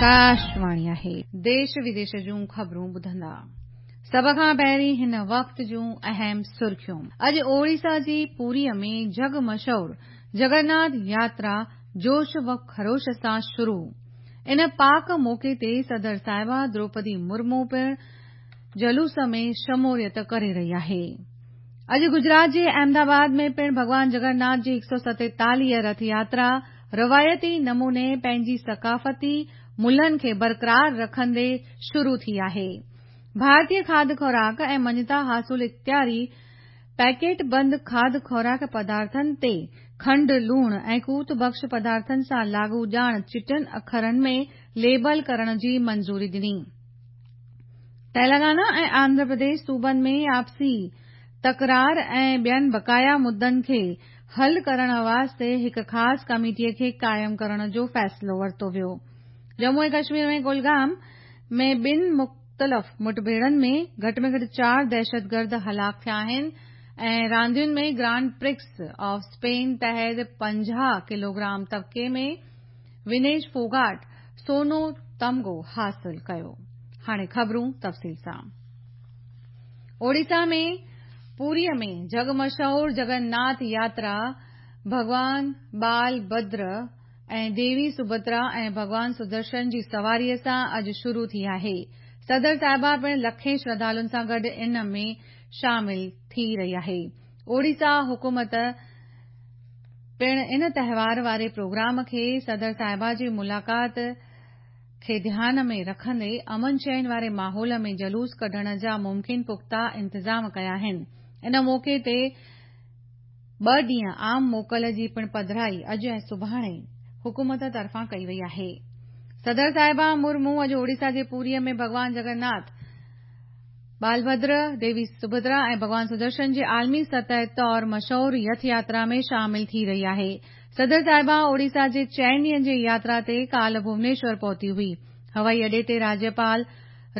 آڪاشواڻي آهي. ديش وديش جون خبرون ٻڌندا. سڀ کان پهرين هن وقت جون اهم سرخيون. اڄ اوڙيسا جي پوريء ۾ جڳ مشهور جگرناٿ ياترا جوش و خروش سان شروع. ان پاڪ موقعي تي صدر صاحبه دروپدي مرمو پڻ جلوس ۾ شموليت ڪري رهي آهي. اڄ گجرات جي احمد آباد ۾ پڻ ڀڳوان جگرناٿ جي 147 رٿ ياترا روايتي نموني پنهنجي ثقافتي ملهن کي برقرار رکندي شروع ٿي آهي. ڀارتي کاڌ خوراڪ ۽ مڃتا حاصل اختياري پيڪيٽ بند کاڌ خوراڪ پدارٿن تي کنڊ، لوڻ ۽ قوت بخش پدارٿن سان لاڳو ڄاڻ چٽن اکرن ۾ ليبل ڪرڻ جي منظوري ڏني. تيلنگانا ۽ آنڌرا پرديش صوبن ۾ آپسي تڪرار ۽ ٻين بقايا مدن کي حل ڪرڻ واسطي هڪ خاص ڪميٽي کي قائم ڪرڻ جو فيصلو ورتو ويو. ڄمون ۽ ڪشمير ۾ ڪلگام ۾ ٻن مختلف مٺڀيڙن ۾ گهٽ ۾ گهٽ چار دهشتگرد هلاڪ ٿيا آهن ۽ راندين ۾ گرانڊ پرڪس آف اسپين تحت 50 ڪلوگرام طبقي ۾ ونيش فوگاٽ سونو تمغو حاصل ڪيو. هاڻي خبرون تفصيل سان. اوڙيسا ۾ پوريء ۾ جڳ مشهور جگن ناٿ ياترا ڀڳوان بال ڀدر ۽ ديوي سڀدرا ۽ ڀڳوان سدرشن جي سواريء سان اڄ شروع ٿي آهي. صدر صاحبه پڻ لکين شرڌالن سان گڏ ان ۾ شامل ٿي رهي آهي. اوڙيسا حڪومت پڻ ان تهوار واري پروگرام کي صدر صاحبه جي ملاقات کي ڌيان ۾ رکندي امن چين واري ماحول ۾ جلوس ڪڍڻ جا ممڪن پختا انتظام ڪيا آهن. ان موقعي تي ٻه ڏينهن عام موڪل جي پڻ پڌرائي اڄ ۽ سڀاڻي حڪومت طرفان ڪئي وئي آهي. صدر صاحبه مرمو اڄ اوڙيسا جي پوريء ۾ ڀڳوان جگرناٿ، بالڀدر، ديوي سڀدرا ۽ ڀڳوان سدرشن جي عالمي سطح طور مشهور رٿ ياترا ۾ شامل ٿي رهي آهي. صدر صاحبه اوڙيسا جي چئن ڏينهن جي ياترا تي ڪالهه ڀونيشور پهتي هئي. هوائي اڏي تي راجيپال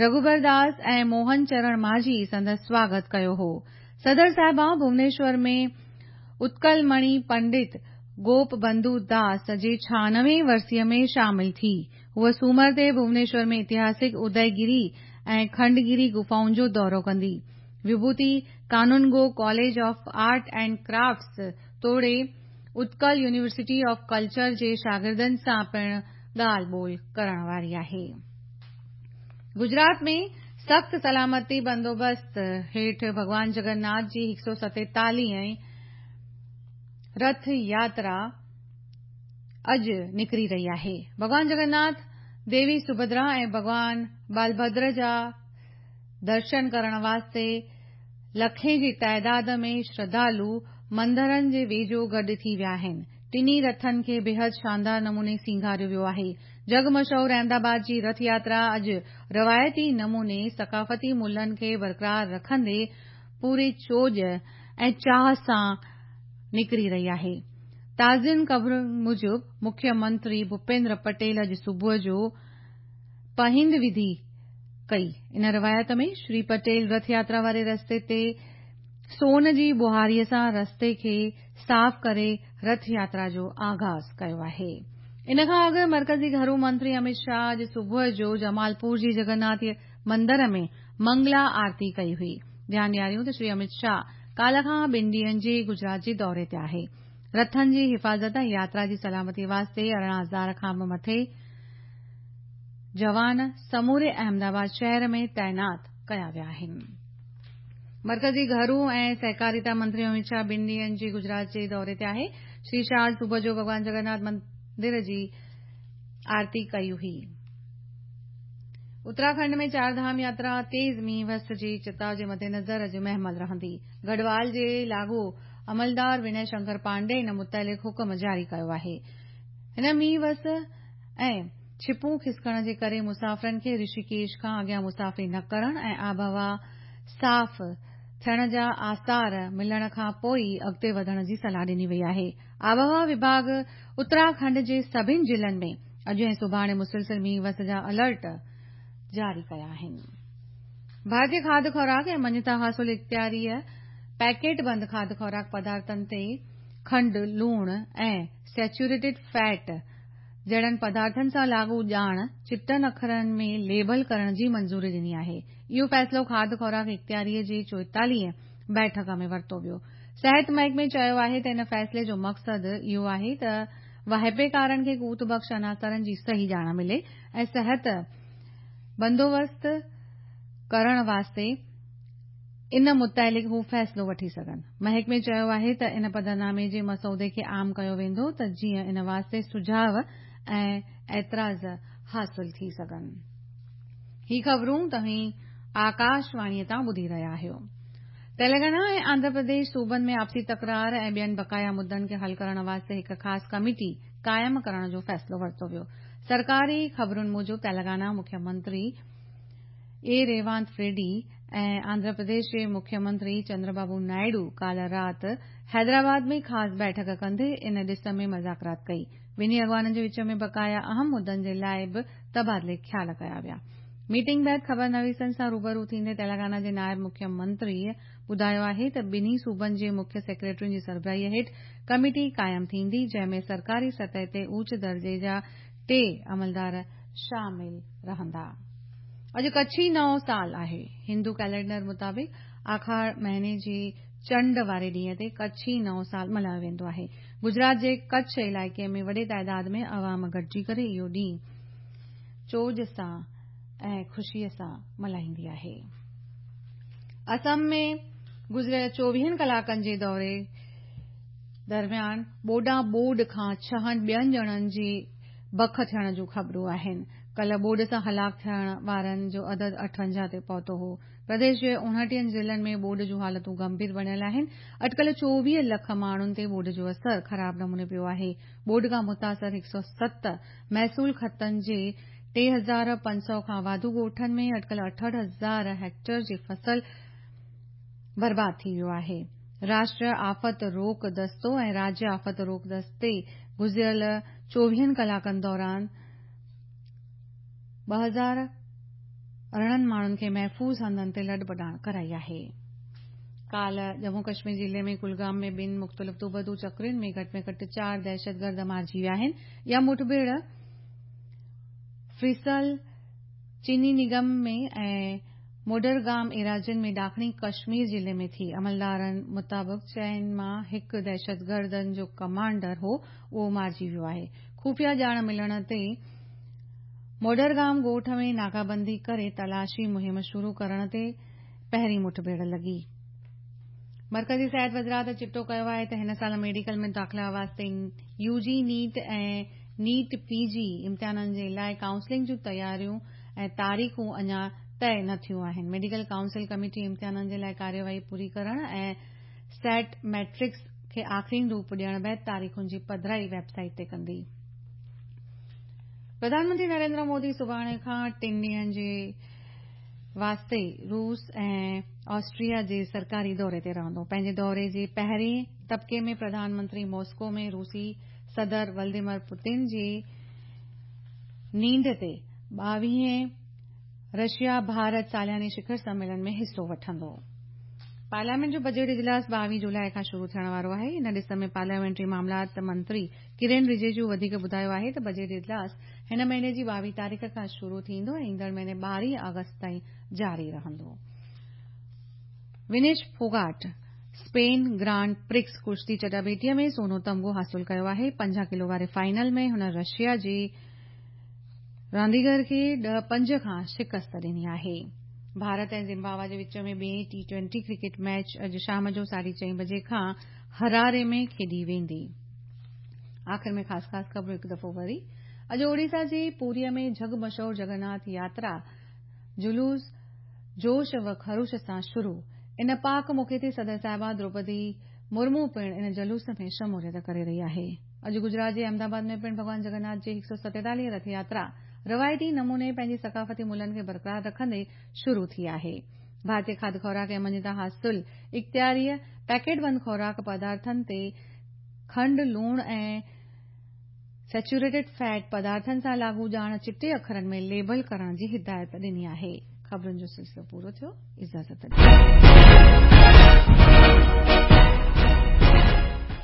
رگهوبر داس ۽ موهن چرڻ ماجهي سندس سواگت ڪيو هو. صدر صاحبه ڀونيشور ۾ اتڪل مڻي پنڊت گوپ بنڌو داس جي 96 ورسيء ۾ شامل ٿي. هوء سومر تي ڀونيشور ۾ اتهاسڪ اديگري ۽ کنڊگري غفائن جو دورو ڪندي. Vibhuti Kanungo college of art and crafts توڙي اتڪل يونيورسٽي آف ڪلچر جي شاگردن سان پڻ ڳالهه ٻولهه ڪرڻ واري آهي. گجرات ۾ سخت سلامتي بندوبست هيٺ ڀڳوان جگرناٿ جي 147 رٿ ياترا اڄ نڪري رهي آهي. ڀڳوان جگرناٿ، ديوي سڀدرا ۽ ڀڳوان بالڀدر جا درشن ڪرڻ واسطي لکين جي تعداد ۾ شرڌالو مندرن جي ويجهو گڏ ٿي ويا آهن. ٽنهي رٿن کي بيحد شاندار نموني سينگاريو ويو آهي. جڳ مشهور احمد آباد جي رٿ ياترا اڄ روايتي نموني ثقافتي ملهن کي برقرار رکندي پوري چوڄ ۽ چاهه سان نڪري رهي آهي. تازين خبرن موجب مکيه منتري ڀوپيندر پٽيل اڄ صبح جو پهند وڌي ڪئي. ان روايت ۾ شري پٽيل رٿ ياترا واري رستي تي سون جي ٻهاريء سان رستي کي صاف ڪري رٿ ياترا جو آغاز ڪيو آهي. ان کان اڳ مرڪزي گهرو منتري امت شاهه اڄ صبح جو جمالپور جي جگرناٿ مندر ۾ منگلا آرتي ڪئي هئي. ڌيان ڏياريون ته شري امت شاهه ڪالهه کان ٻن ڏينهن جي گجرات جي دوري تي آهي. رٿن جي حفاظت ۽ ياترا جي سلامتي واسطي 18,000 کان به مٿي جوان سموري احمد آباد شهر ۾ تعينات ڪيا ويا آهن. مرڪزي گهرو ۽ سهڪاريتا منتري امت شاهه ٻن ڏينهن جي گجرات جي دوري تي آهي. شري شاهه اڄ صبح جو ڀڳوان جگرناٿ مندر جي آرتي ڪئي هئي. اتراکنڊ ۾ چار ڌام ياترا تيز مينهن وس جي چتاء جي مدنظر اڄ مهمل رهندي. گڙهوال جي لاڳو عملدار ونئي شنڪر پانڊي ان متعلق حڪم جاري ڪيو آهي. هن مينهن وس ۽ ڇپون کسڪڻ جي ڪري مسافرن کي رشيڪيش کان اڳيان مسافري نه ڪرڻ ۽ آبهوا صاف ٿيڻ جا آثار ملڻ کان پوء ئي اڳتي وڌڻ جي صلاح ڏني وئي آهي. آبهوا وڀاڳ اتراکنڊ جي سڀني ضلعن ۾ اڄ ۽ سڀاڻي مسلسل مينهن وس جا الرٽ جاري ڪيا آهن. ڀارتي کاڌ خوراڪ ۽ مڃتا حاصل اختياريء پيڪيٽ بند کاڌ خوراڪ پدارٿن تي کنڊ، لوڻ ۽ سيچوريٽيڊ فيٽ جهڙن پدارٿن سان لاڳو ڄاڻ چٽن اکرن ۾ ليبل ڪرڻ جي منظوري ڏني آهي. اهو فيصلو کاڌ خوراڪ اختياريء جي 44 بيٺڪ ۾ ورتو ويو. صحت محڪمي چيو آهي ته ان فيصلي جو مقصد اهو آهي ته واهپيڪارن کي قوت بخش عناصرن جي صحيح ڄاڻ ملي ۽ صحت بندوبست ڪرڻ واسطي ان متعلق هو فيصلو وٺي سگهن. محڪمي چيو آهي ته ان پڌرنامي جي مسودي کي عام ڪيو ويندو ته جيئن ان واسطي سجهاء ۽ اعتراض حاصل ٿي سگهن. هي خبرون توهين آڪاشواڻيء تان ٻڌي رهيا آهيو. تيلنگانا ۽ آنڌرا پرديش صوبن ۾ آپسي تڪرار ۽ ٻين بقايا مدن کي حل ڪرڻ واسطي هڪ خاص ڪميٽي قائم ڪرڻ جو فيصلو ورتو ويو. سرڪاري خبرن موجب تيلنگانا مکيه منتري اي ريوانت ريڊي ۽ آنڌرا پرديش جي مکيه منتري چندربابو نائيڊو ڪالهه رات حيدرآباد ۾ خاص بيٺڪ ڪندي ان ڏس ۾ مذاڪرات ڪئي. ٻنهي اڳواڻن جي وچ ۾ بقايا اهم مدن جي لاء به تبادلي خيال ڪيا ويا. ميٽنگ بعد خبرنويسن سان روبرو ٿيندي تيلنگانا جي نائب مکيه منتري ٻڌايو آهي ته ٻنهي صوبن جي مکيه سيڪريٽرين جي سربراهي هيٺ ڪميٽي قائم ٿيندي جنهن ۾ سرڪاري سطح تي اوچ درجي جا ٽي عملدار شامل رهندا. اڄ ڪڇي نئون سال آهي. هندو ڪئلينڊر مطابق آکاڙ مهيني جي چنڊ واري ڏينهن تي ڪڇي نئون سال ملهايو ويندو آهي. گجرات جي ڪڇ علائقي ۾ وڏي تعداد ۾ عوام گڏجي ڪري اهو ڏينهن چوڄ سان ۽ خوشي سان ملهائيندي آهي. اسم ۾ گذريل چوويهن ڪلاڪن جي دوري درميان ٻوڏان ٻوڏ کان ڇهن ٻين ڄڻن جي بک ٿيڻ جون خبرون آهن. ڪلهه ٻوڏ سان هلاڪ ٿيڻ وارن جو عدد 58 تي پهتو هو. پرديش جي 29 ضلعن ۾ ٻوڏ جون حالتون گنڀير بڻيل آهن. اٽڪل 24 لک ماڻهن تي ٻوڏ جو اثر خراب نموني پيو آهي. ٻوڏ کان متاثر 107 محصول خطن جي 3500 کان واڌو ڳوٺن ۾ اٽڪل 68 هزار هيڪٽر جي فصل برباد ٿي ويو آهي. راشٽريه آفت روڪ دستو ۽ راجيه آفت روڪ دستي گذريل چوويهن ڪلاڪن دوران 2018 ماڻهن کي محفوظ هنڌن تي لڏپلاڻ ڪرائي آهي. ڪالهه ڄمون ڪشمير ضلعي ۾ ڪلگام ۾ ٻن مختلف دوبدو چڪرين ۾ گهٽ ۾ گهٽ چار دهشتگرد مارجي ويا آهن. اها مٺڀيڙ فريسل چيني نگم ۾ ۽ موڊرگام ايراضين ۾ ڏاکڻي ڪشمير ضلعي ۾ ٿي. عملدارن مطابق چئن مان هڪ دهشتگردن جو ڪمانڊر هو اهو مارجي ويو آهي. خفيه ڄاڻ ملڻ تي موڊرگام ڳوٺ ۾ ناڪابندي ڪري تلاشي مهم شروع ڪرڻ تي پهرين مٺڀيڙ لڳي. مرڪزي صحت وزارت چٽو ڪيو آهي ته هن سال ميڊيڪل ۾ داخلا واسطي يو جي نيٽ ۽ نيٽ پي جي امتحانن جي لاء ڪائونسلنگ جون تياريون ۽ تاريخون اڃا طئي نه ٿيون آهن. ميڊيڪل ڪائونسل ڪميٽي امتحانن جي لاء ڪارروائي پوري ڪرڻ ۽ سيٽ ميٽرڪس کي آخرين روپ ڏيڻ بعد تاريخن جي پڌرائي ويب سائيٽ تي ڪندي. پرڌان منتري نريندر مودي سڀاڻي کان ٽن ڏينهن جي واسطي روس ۽ آسٽريا جي سرڪاري دوري تي رهندو. پنهنجي دوري جي پهرين طبقي ۾ پرڌان منتري ماسڪو ۾ روسي صدر ولاديمير پوتن جي نينڍ تي 22هين رشيا ڀارت سالياني شکر سميلن ۾ حصو وٺندو. پارليامينٽ جو بجيٽ اجلاس 22 جولاء کان شروع ٿيڻ وارو آهي. ان ڏس ۾ پارليامينٽري معاملات منتري ڪرين رجيجو وڌيڪ ٻڌايو آهي ته بجيٽ اجلاس هن مهيني جي 22 تاريخ کان شروع ٿيندو ۽ ايندڙ مهيني 12 آگسٽ تائين جاري رهندو. ونيش ڦوگاٽ اسپين گرانڊ پرڪس ڪشتي چٽاڀيٽي ۾ سونو تمغو حاصل ڪيو آهي. 50 ڪلو واري فائنل ۾ هن رشيا جي رانديگر کي 10-5 کان شڪست ڏني آهي. ڀارت ۽ زمبابوي جي وچ ۾ ٻئين ٽي ٽوئنٽي ڪرڪيٽ ميچ اڄ شام جو 4:30 بجي کان هراري ۾ کيڏي ويندي. آخر ۾ خاص خاص خبرون هڪ دفعو وري. اڄ اوڙيسا جي پوريء ۾ جڳ مشهور جگناٿ ياترا جلوس جوش و خروش سان شروع. ان پاڪ موقعي تي صدر صاحبه دروپدي مرمو پڻ ان جلوس ۾ شموليت ڪري رهي آهي. اڄ گجرات جي احمدآباد ۾ پڻ ڀڳوان جگناٿ جي 147 رٿ ياترا روايتي نموني پنهنجي ثقافتي ملهن کي برقرار رکندي شروع ٿي آهي. ڀارتي کاڌ خوراڪ ۽ مڃتا حاصل اختياريء پيڪيٽ بند خوراڪ پدارٿن تي کنڊ، لوڻ ۽ سيچوريٽيڊ فيٽ پدارٿن سان لاڳو ڄاڻ چٽي اکرن ۾ ليبل ڪرڻ جي هدايت ڏني آهي. خبرن جو سلسلو پورو ٿيو. اجازت ڏيو.